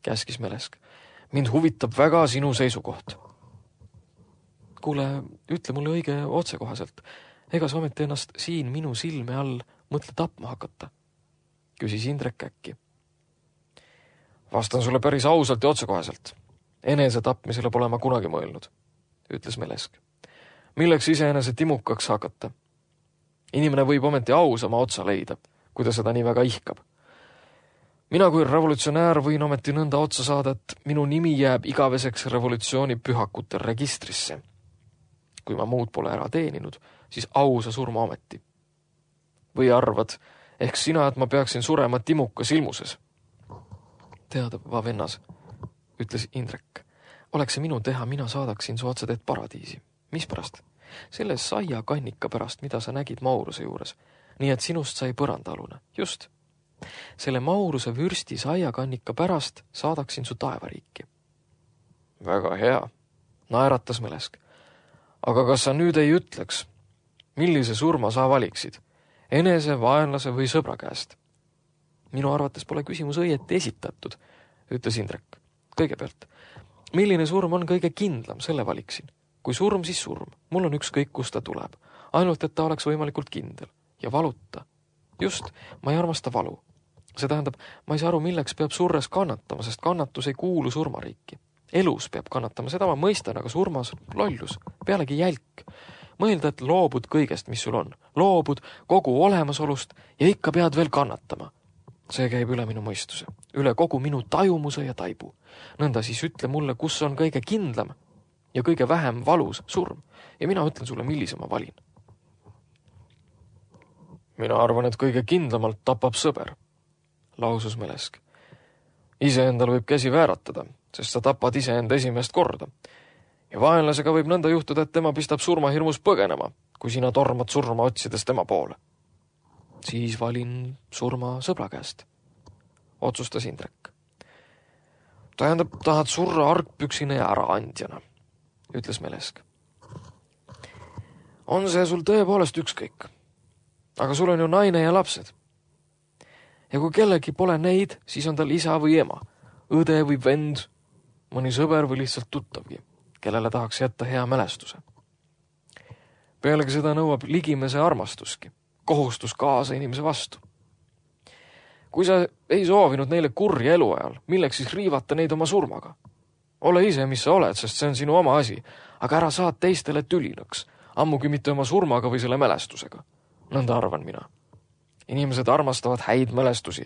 käskis Melesk. Mind huvitab väga sinu seisukoht. Kuule, ütle mulle õige otsekohaselt. Ega sa ometi ennast siin minu silme all mõtle tapma hakata? Küsis Indrek äkki. Vastan sulle päris ausalt ja otsekohaselt. Enese tapmisele pole ma kunagi mõelnud, ütles Melesk. Milleks iseenese timukaks hakata? Inimene võib ometi ausama otsa leida, kui ta seda nii väga ihkab. Mina kui revolutsionäär võin ometi nõnda otsa saada, et minu nimi jääb igaveseks revolutsiooni pühakute registrisse. Kui ma muud pole ära teeninud, siis ausa surma ometi. Või arvad, ehk sina, et ma peaksin surema timuka silmuses? Tead, va vennas, ütles Indrek. Oleks see minu teha, mina saadaksin su otseteed paradiisi. Mis pärast? Selle saia kannika pärast, mida sa nägid Mauruse juures. Nii et sinust sai põrandaalune. Just. Selle Mauruse vürsti saia kannika pärast saadaksin su taevariiki. Väga hea, naeratas Melesk. Aga kas sa nüüd ei ütleks, millise surma sa valiksid? Enese, vaenlase või sõbra käest? Minu arvates pole küsimus õieti esitatud, ütles Indrek. Kõigepealt, milline surm on kõige kindlam, selle valiksin. Kui surm, siis surm. Mul on ükskõik, kust ta tuleb. Ainult, et ta oleks võimalikult kindel. Ja valuta. Just, ma ei armasta valu. See tähendab, ma ei saa aru, milleks peab surres kannatama, sest kannatus ei kuulu surmariiki. Elus peab kannatama, seda ma mõistan, aga surmas lollus, pealegi jälk. Mõelda, et loobud kõigest, mis sul on. Loobud kogu olemasolust ja ikka pead veel kannatama. See käib üle minu mõistuse, üle kogu minu tajumuse ja taibu. Nõnda siis ütle mulle, kus on kõige kindlam ja kõige vähem valus surm. Ja mina ütlen sulle, millise ma valin. Mina arvan, et kõige kindlamalt tapab sõber, lausus Melesk. Iseendal võib käsi vääratada, sest sa tapad iseenda esimest korda. Ja vaenlasega võib nõnda juhtuda, et tema pistab surmahirmus põgenema, kui sina tormad surma otsides tema poole. Siis valin surma sõbra käest, otsustas Indrek. Tähendab, tahad surra argpüksine ja äraandjana, ütles Melesk. On see sul tõepoolest ükskõik, aga sul on ju naine ja lapsed. Ja kui kellegi pole neid, siis on tal isa või ema, õde või vend, mõni sõber või lihtsalt tuttavgi, kellele tahaks jätta hea mälestuse. Pealegi seda nõuab ligimese armastuski, kohustus kaasa inimese vastu. Kui sa ei soovinud neile kurja eluajal, milleks siis riivata neid oma surmaga? Ole ise, mis sa oled, sest see on sinu oma asi, aga ära saad teistele tülinaks, ammugi mitte oma surmaga või selle mälestusega. Nõnda arvan mina. Inimesed armastavad häid mälestusi.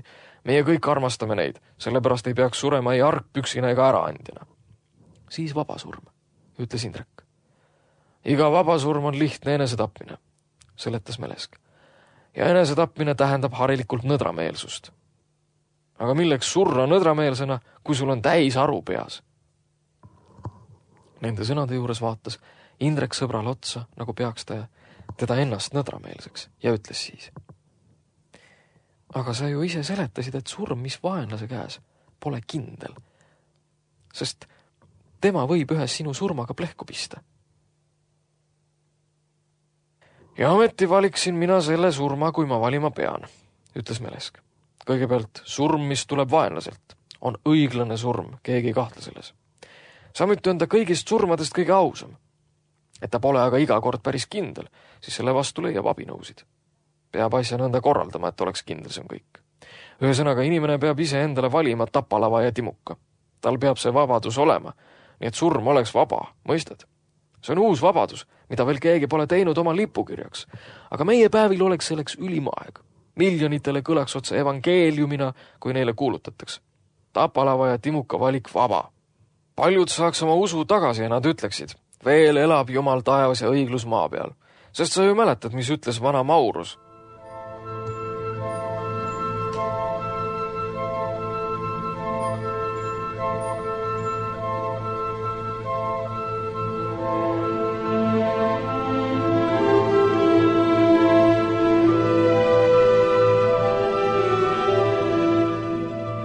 Meie kõik armastame neid, sellepärast ei peaks surema ei argpüksina ega äraandjana. Siis vabasurm, ütles Indrek. Iga vabasurm on lihtne enesetapmine, seletas Melesk. Ja enesetapmine tähendab harilikult nõdrameelsust. Aga milleks surra nõdrameelsena, kui sul on täis aru peas? Nende sõnade juures vaatas Indrek sõbral otsa, nagu peaks ta teda ennast nõdrameelseks, ja ütles siis. Aga sa ju ise seletasid, et surm, mis vaenlase käes, pole kindel. Sest tema võib ühes sinu surmaga plehku pista. Ja ometi valiksin mina selle surma, kui ma valima pean, ütles Melesk. Kõigepealt, surm, mis tuleb vaenlaselt, on õiglane surm, keegi ei kahtle selles. Samuti on ta kõigist surmadest kõige ausam. Et ta pole aga iga kord päris kindel, siis selle vastu leiab abinõusid. Peab asja nõnda korraldama, et oleks kindel, see on kõik. Ühesõnaga, inimene peab ise endale valima tapalava ja timuka. Tal peab see vabadus olema, nii et surm oleks vaba, mõistad? See on uus vabadus, mida veel keegi pole teinud oma lipukirjaks. Aga meie päevil oleks selleks ülim aeg. Miljonitele kõlaks otse evangeeliumina, kui neile kuulutatakse. Tapalava ja timuka valik vaba. Paljud saaks oma usu tagasi ja nad ütleksid, veel elab Jumal taevas ja õiglus maa peal. Sest sa ju mäletad, mis ütles vana Maurus.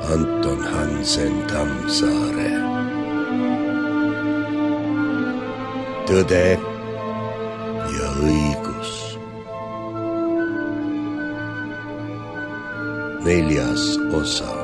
Anton Hansen Tammsaare. Tõde ja õigus. 4. osa.